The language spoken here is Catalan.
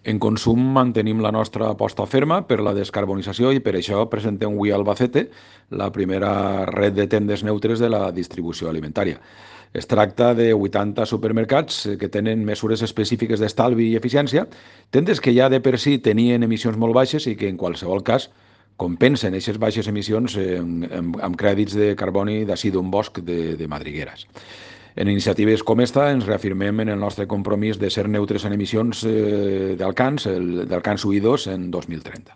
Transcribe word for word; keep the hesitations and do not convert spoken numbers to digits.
En consum mantenim la nostra aposta ferma per la descarbonització i per això presentem avui a Albacete la primera red de tendes neutres de la distribució alimentària. Es tracta de vuitanta supermercats eh, que tenen mesures específiques d'estalvi i eficiència, tendes que ja de per si tenien emissions molt baixes i que en qualsevol cas compensen aquestes baixes emissions amb, amb, amb crèdits de carboni d'ací d'un bosc de, de madrigueres. En iniciatives com esta ens reafirmem en el nostre compromís de ser neutres en emissions eh, d'alcans, d'alcans U I dos en dos mil trenta.